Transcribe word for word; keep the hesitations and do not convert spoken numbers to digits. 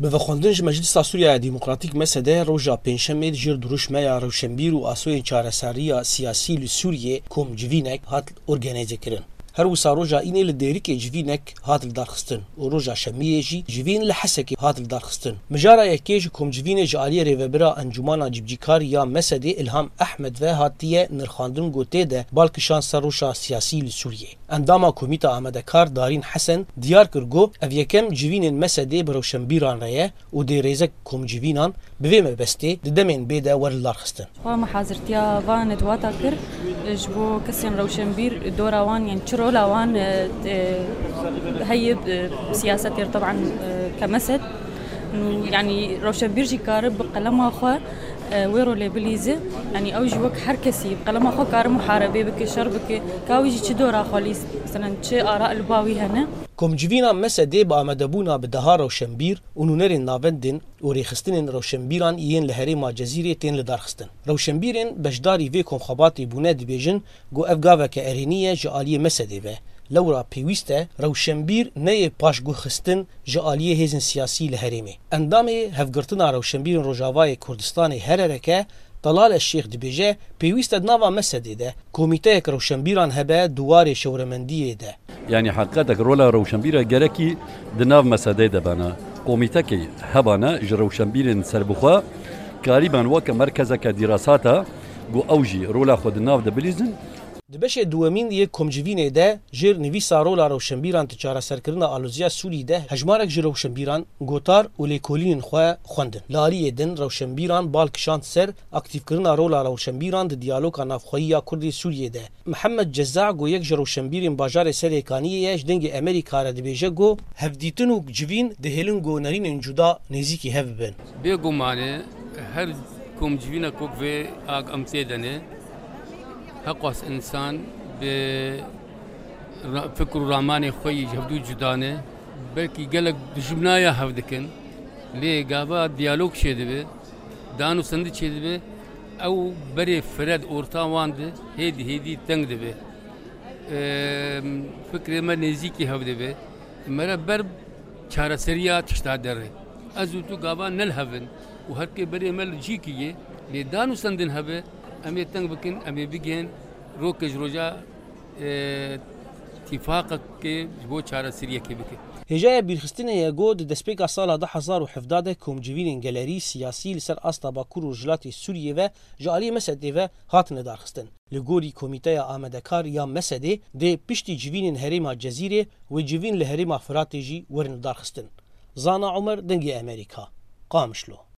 Bi vexwendin ji Meclisa Sûriya Demokratîk, M S D, roja Pêncşemê di jêr dirûşmeya rewşenbîr û asoyên çareseriya siyasî li Sûriyê komcivînek hat organîzekirin. Her wisa roja Înê li Dêrikê civînek hat lidarxistin û roja Şemiyê jî civîn li Hesekê hat lidarxistin. Mijara yekê ji komcivînê ji aliyê rêvebira Encûmana Cîbicîkar ya M S D, Îlham Ehmed ve hatiye nirxandin ku tê de bal kişand ser roja siyasî li Sûriyê. Endama Komîta Amadekar Darîn Hesen diyar kir ku ev yekem civînên M S D bi rewşenbîran re ye û dê rêzek komcivînan bi vê mebestê di demên bê de werin lidarxistin. Xwe mehazirtiya van netwata kir, ji bo kesên rewşenbîr dora wan, yani çi rola wan, e, e, heye, e, siyasetê re, teban, e, ke M S D. Û, yani rewşenbîr jî kare bi qelema xwe, e, wê rolê bilîze. Yani ew jî wek her kesî bi qelema xwe kare muharebê bike, şer bike. Ka wî jî çi dora xwe lîst, meselen çi ara li ba wî hene. Komcivîna M S D bi amadebûna bi deha rewşenbîr û nûnerên navendên û rêxistinên rewşenbîran yên li herêma Cezîrê tên lidarxistin. Rewşenbîrên beşdarî vê komxebatê bûne dibêjin ku ev gaveke erênî ye ji aliyê M S D ve. Lewra pêwîst e rewşenbîr neyê paşguhxistin ji aliyê hêzên siyasî li herêmê. Endamê Hevgirtina Rewşenbîrên Rojavayê Kurdistanê, H R R K, Talal Eşşêx dibêje, pêwîst e di nava M S D de komîteyek rewşenbîran hebe di warê şewremendiyê de. Yanî heqîqetek rola rewşenbîra gerekî di nav M S D de bena. Komîtekê hebana ji rewşenbîrên serbixwe karîban weke merkezeke dîrasata ku ew jî rola xwe di nav de bilîzin. Di beşê duwemîn yê komcivînê de jêr nivîsa rola rewşenbîran di çareserkirina aloziya Sûrî de hejmarek ji rewşenbîran gotar û lêkolînên xwe xwendin. Li aliyê din rewşenbîran bal kişand ser aktîfkirina rola rewşenbîran di diyaloga navxweyî ya Kurdê Sûriyê de. Mihemed Ceza ku yek ji rewşenbîrên bajarê Serêkaniyê ye, ji Dengê Amerîka re dibêje ku hevdîtin û civîn dihêlin ku nerînên cuda nêzîkî hev bibin. Bêguman e, her komcivînek wek vê a em tê de ne, heqas însan bi ra-, fikr û ramanê xwe yî ji hevdû cuda ne. Belkî gelek dijminaya hev dikin, lê gava diyalog çêdibe, dan û sendî çêdibe, ew berê fire di orta wan de hêdî hêdî teng dibe. Em, fikrê me nêzîkî hev dibe. Me re ber çareseriya tişta derê. Ez û tu gava ne li hev in û her kê berê me li cîkî yê, lê dan û sendin hebe, em ê teng bikin, em ê bigihên rokê ji roja, e, tîfaqekê ji bo çareseriyekê bike. Hêjaya bîrxistinê ye ku di destpêka sala du hezar û hevdeh de komcivînên gelerî siyasî li ser asta Bakur û Rojhilatê Sûriyê ve ji aliyê M S D'ê ve hatine darxistin. Li gorî Komîteya Amadekar ya M S D'ê dê piştî civînên herêma Cezîrê wê civîn li herêma Firatê jî werin darxistin. Zana Omer, Dengê Amerîka, Qamişlo.